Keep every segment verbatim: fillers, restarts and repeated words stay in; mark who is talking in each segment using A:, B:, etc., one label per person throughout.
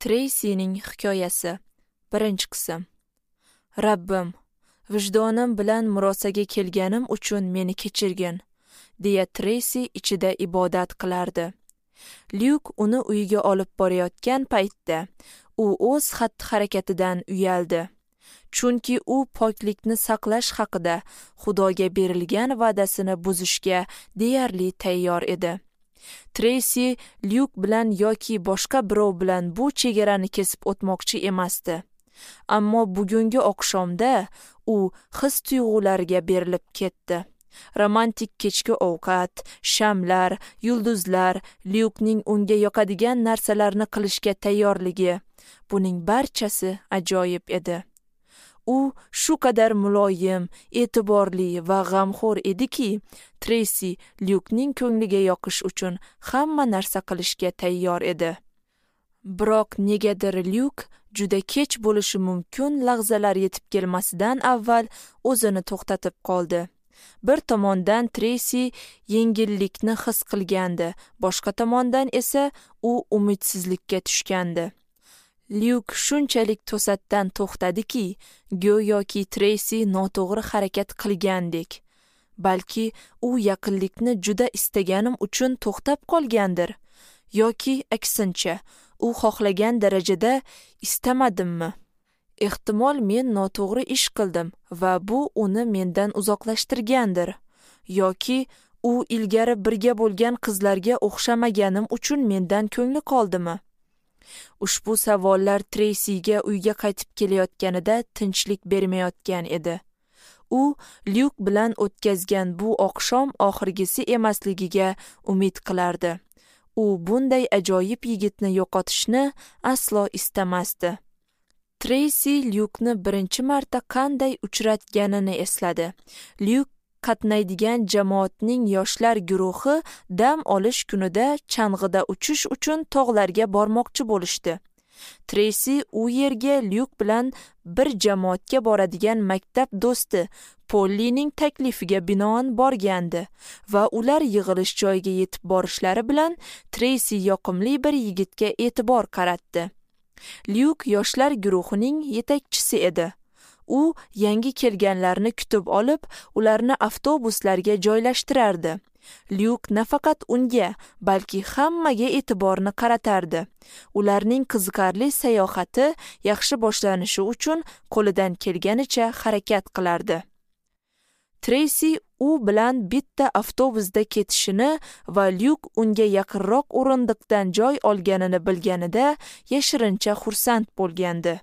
A: Treysining hikoyasi. Birinchi qism. Rabbim, vijdonim bilan murosaga kelganim uchun meni kechirgin, deya Treysi ichida ibodat qilardi. Lyuk uni uyiga olib borayotgan paytda u o'z xatti-harakatidan uyaldi. Chunki u poklikni saqlash haqida Xudoga berilgan va'dasini buzishga deyarli tayyor edi. Treysi Lyuk bilan yoki boshqa birov bilan bu chegarani kesib o'tmoqchi emasdi. Ammo bugungi oqshomda u his-tuyg'ularga berilib ketdi. Romantik kechki ovqat, shamlar, yulduzlar, Lyukning unga yoqadigan narsalarni qilishga tayyorligi, buning barchasi ajoyib edi. U shu qadar muloyim, e'tiborli va g'amxo'r ediki, Treysi Lyukning ko'ngliga yoqish uchun hamma narsa qilishga tayyor edi. Biroq negadir Lyuk juda kech bo'lishi mumkin lahzalar yetib kelmasidan avval o'zini to'xtatib qoldi. Bir tomondan Treysi yengillikni his qilgandi, boshqa tomondan esa u umidsizlikka tushgandi. Lyuk shunchalik to'satdan to'xtadiki, go'yoki Treysi noto'g'ri harakat qilgandek. Balki u yaqinlikni juda istaganim uchun to'xtab qolgandir, yoki aksincha, u xohlagan darajada istamadimmi? Ehtimol men noto'g'ri ish qildim va bu uni mendan uzoqlashtirgandir, yoki u ilgari birga bo'lgan qizlarga o'xshamaganim uchun mendan ko'ngli qoldimi? Ushbu savollar Treysiga uyga qaytib kelayotganida tinchlik bermayotgan edi. U Lyuk bilan o'tkazgan bu oqshom oxirgisi emasligiga umid qilardi. U bunday ajoyib yigitni yo'qotishni aslo istamasdi. Treysi Lyukni birinchi marta qanday uchratganini esladi. Lyuk qatnaydigan jamoatning yoshlar guruhi dam olish kunida chang'ida uchish uchun tog'larga bormoqchi bo'lishdi. Treysi u yerga Lyuk bilan bir jamoatga boradigan maktab do'sti Pollining taklifiga binoan borgandi va ular yig'ilish joyiga yetib borishlari bilan Treysi yoqimli bir yigitga e'tibor qaratdi. Lyuk yoshlar guruhining yetakchisi edi. U yangi kelganlarni kutib olib, ularni avtobuslarga joylashtirardi. Lyuk nafaqat unga, balki hammaga e'tiborni qaratardi. Ularning qiziqarli sayohati yaxshi boshlanishi uchun qo'lidan kelganicha harakat qilardi. Treysi u bilan bitta avtobusda ketishini va Lyuk unga yaqinroq o'rindiqdan joy olganini bilganida yashirincha xursand bo'lgandi.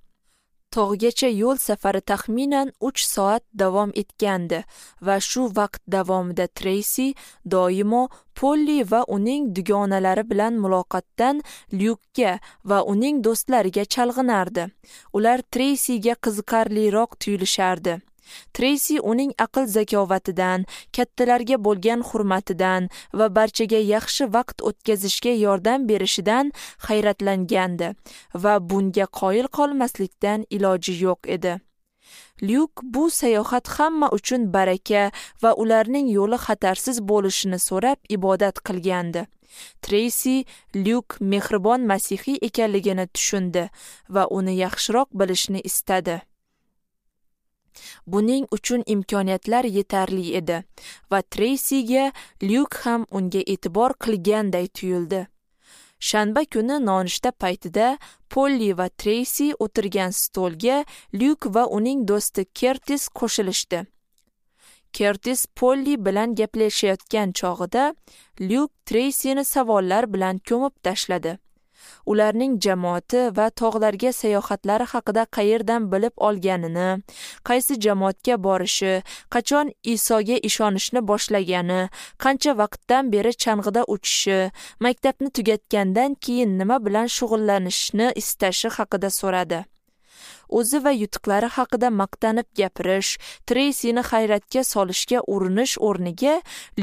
A: Tog'gacha yo'l safari taxminan uch soat davom etgandi va shu vaqt davomida Treysi doimo Polli va uning dugonalari bilan muloqotdan Lyukka va uning do'stlariga chalg'inardi. Ular Treysiga qiziqarliroq tuyulishardi. Treysi uning aql zakovatidan, kattalarga bo'lgan hurmatidan va barchaga yaxshi vaqt o'tkazishga yordam berishidan hayratlangandi va bunga qoyil qolmaslikdan iloji yo'q edi. Lyuk bu sayohat hamma uchun baraka va ularning yo'li xatarsiz bo'lishini so'rab ibodat qilgandi. Treysi Lyuk mehribon masihiy ekanligini tushundi va uni yaxshiroq bilishni istadi. Buning uchun imkoniyatlar yetarli edi va Treysiga Lyuk ham unga e'tibor qilganday tuyuldi. Shanba kuni nonushta paytida Polli va Treysi o'tirgan stolga Lyuk va uning do'sti Kertis qo'shilishdi. Kertis Polli bilan gaplashayotgan chog'ida Lyuk Treysini savollar bilan ko'mib tashladi. Ularning jamoati va tog'larga sayohatlari haqida qayerdan bilib olganini, qaysi jamoatga borishi, qachon Isoga ishonishni boshlagani, qancha vaqtdan beri chang'ida uchishi, maktabni tugatgandan keyin nima bilan shug'ullanishni istashi haqida so'radi. O'zi va yutuqlari haqida maqtanib gapirish, Treysini hayratga solishga urinish o'rniga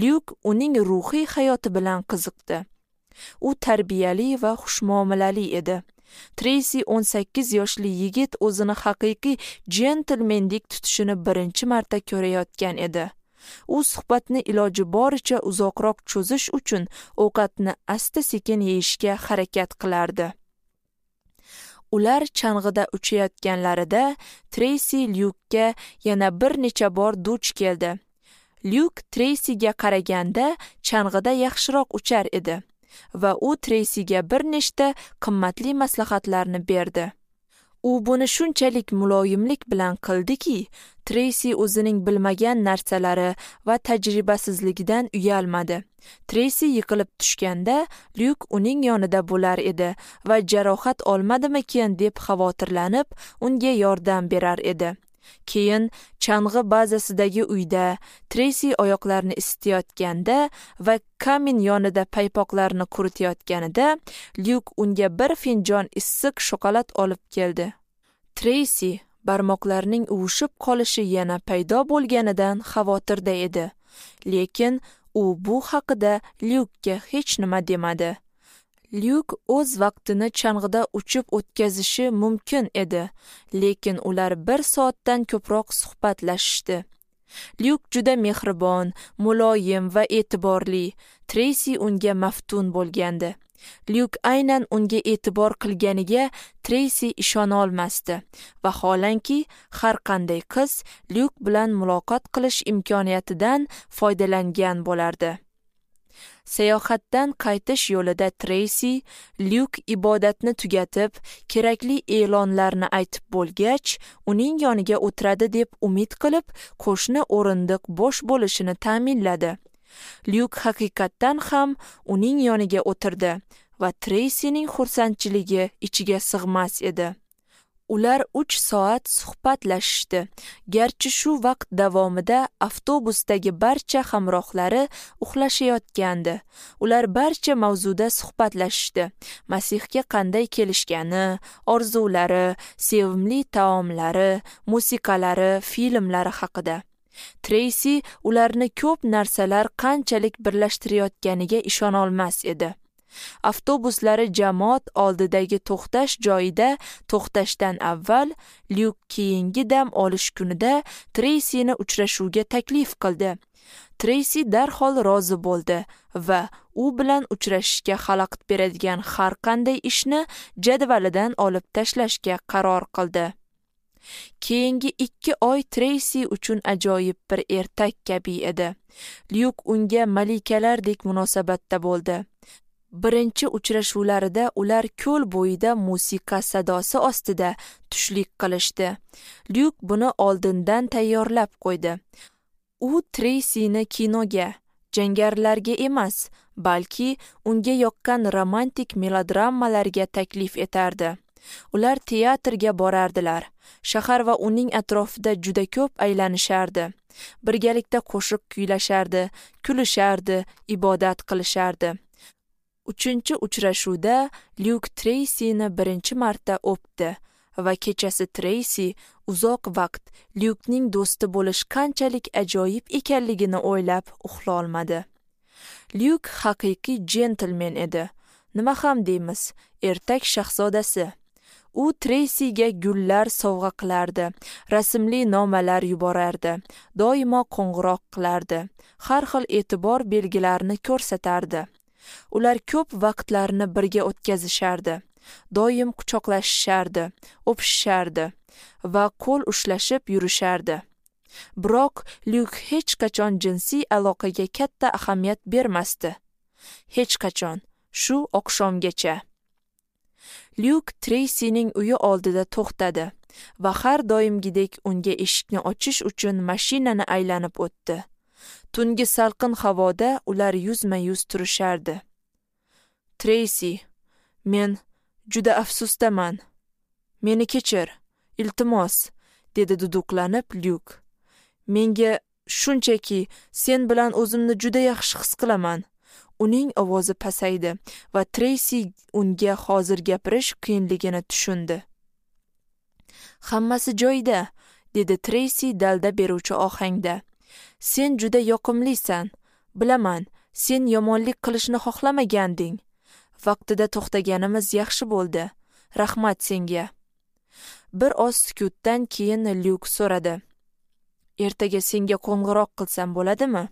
A: Lyuk uning ruhiy hayoti bilan qiziqdi. U tarbiyali va xushmuomalali edi. Treysi o'n sakkiz yoshli yigit o'zini haqiqiy jentlmendek tutishini birinchi marta ko'rayotgan edi. U suhbatni iloji boricha uzoqroq cho'zish uchun ovqatni asta-sekin yeyishga harakat qilardi. Ular chang'ida uchayotganlarida Treysi Lyukka yana bir necha bor duch keldi. Lyuk Treysiga qaraganda chang'ida yaxshiroq uchar edi va u Treysiga bir nechta qimmatli maslahatlarni berdi. U buni shunchalik muloyimlik bilan qildiki, Treysi o'zining bilmagan narsalari va tajribasizligidan uyalmadi. Treysi yiqilib tushganda Lyuk uning yonida bo'lar edi va jarohat olmadimikin deb xavotirlanib, unga yordam berar edi. Keyin chang'i bazasidagi uyda Treysi oyoqlarini isitayotganda va kamin yonida paypoqlarni quritayotganida Lyuk unga bir finjon issiq shokolad olib keldi. Treysi barmoqlarining uvushib qolishi yana paydo bo'lganidan xavotirda edi. Lekin u bu haqida Lyukka hech nima demadi. Lyuk o'z vaqtini chang'ida uchib o'tkazishi mumkin edi, lekin ular bir soatdan ko'proq suhbatlashishdi. Lyuk juda mehribon, muloyim va e'tiborli. Treysi unga maftun bo'lgandi. Lyuk aynan unga e'tibor qilganiga Treysi ishona olmasdi. Vaholanki, har qanday qiz Lyuk bilan muloqot qilish imkoniyatidan foydalangan bo'lardi. Sayohatdan qaytish yo'lida Treysi Lyuk ibodatni tugatib, kerakli e'lonlarni aytib bo'lgach, uning yoniga o'tiradi deb umid qilib, qo'shni o'rindiq bo'sh bo'lishini ta'minladi. Lyuk haqiqatdan ham uning yoniga o'tirdi va Treysining xursandchiligi ichiga sig'mas edi. Ular uch soat suhbatlashishdi. Garchi shu vaqt davomida avtobusdagi barcha hamrohlari uxlashayotgandi. Ular barcha mavzuda suhbatlashishdi. Masihga qanday kelishgani, orzulari, sevimli taomlari, musiqalari, filmlari haqida. Treysi ularni ko'p narsalar qanchalik birlashtirayotganiga ishona olmas edi. Avtobuslari jamoat oldidagi to'xtash joyida to'xtashdan avval Lyuk keyingi dam olish kunida Treysini uchrashuvga taklif qildi. Treysi darhol rozi bo'ldi va u bilan uchrashishga xalaqit beradigan har qanday ishni jadvalidan olib tashlashga qaror qildi. Keyingi ikki oy Treysi uchun ajoyib bir ertak kabi edi. Lyuk unga malikalardek munosabatda bo'ldi. Birinchi uchrashuvlarida ular ko'l bo'yida musiqa sadosi ostida tushlik qilishdi. Lyuk buni oldindan tayyorlab qo'ydi. U Treysini kinoga, jangarilarga emas, balki unga yoqqan romantik melodramalarga taklif etardi. Ular teatrga borardilar. Shahar va uning atrofida juda ko'p aylanishardi. Birgalikda qo'shiq kuylashardi, kulishardi, ibodat qilishardi. Uchinchi uchrashuvda Lyuk Treysini birinchi marta o'pdi va kechasi Treysi uzoq vaqt Lyukning do'sti bo'lish qanchalik ajoyib ekanligini o'ylab uxlolmadi. Lyuk haqiqiy jentlmen edi. Nima ham deymiz, ertak shahzodasi. U Treysiga gullar sovg'a qilardi, rasmli nomalar yuborardi, doimo qo'ng'iroq qilardi, har xil e'tibor belgilarini ko'rsatardi. Ular ko'p vaqtlarini birga o'tkazishardi, doim quchoqlashishardi, o'pishishardi va qo'l ushlashib yurishardi. Biroq Lyuk hech qachon jinsiy aloqaga katta ahamiyat bermasdi. Hech qachon, shu oqshomgacha. Lyuk Treysining uyi oldida to'xtadi va har doimgidek unga eshikni ochish uchun mashinani aylanib o'tdi. Tungi salqin havoda ular yuzma-yuz turishardi. Treysi, men juda afsusdaman. Meni kechir, iltimos, dedi duduqlanib Lyuk. Menga shunchaki sen bilan o'zimni juda yaxshi his qilaman. Uning ovozi pasaydi va Treysi unga hozir gapirish qiyinligini tushundi. Hammasi joyida, dedi Treysi dalda beruvchi ohangda. Sen juda yoqimlisan. Bilaman, sen yomonlik qilishni xohlamaganding. Vaqtida to'xtaganimiz yaxshi bo'ldi. Rahmat senga. Bir oz sukutdan keyin Lyuk so'radi. Ertaga senga qo'ng'iroq qilsam bo'ladimi?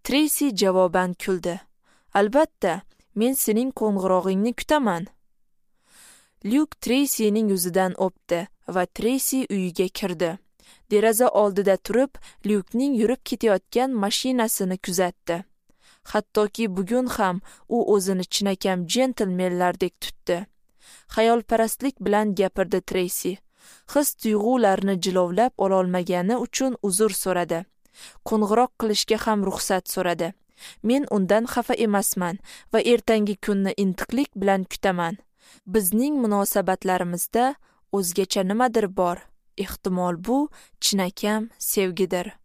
A: Treysi javoban kuldi. Albatta, men sening qo'ng'irog'ingni kutaman. Lyuk Treysining yuzidan o'pdi va Treysi uyiga kirdi. Deraza oldida turib, Lyukning yurib ketayotgan mashinasini kuzatdi. Hattoki bugun ham u o'zini chinakam jentlmenlardek tutdi. Xayolparastlik bilan gapirdi Treysi. His tuyg'ularni jilovlab ololmagani uchun uzr so'radi. Qo'ng'iroq qilishga ham ruxsat so'radi. Men undan xafa emasman va ertangi kunni intiqlik bilan kutaman. Bizning munosabatlarimizda o'zgacha nimadir bor. Ehtimol bu chinakam sevgidir.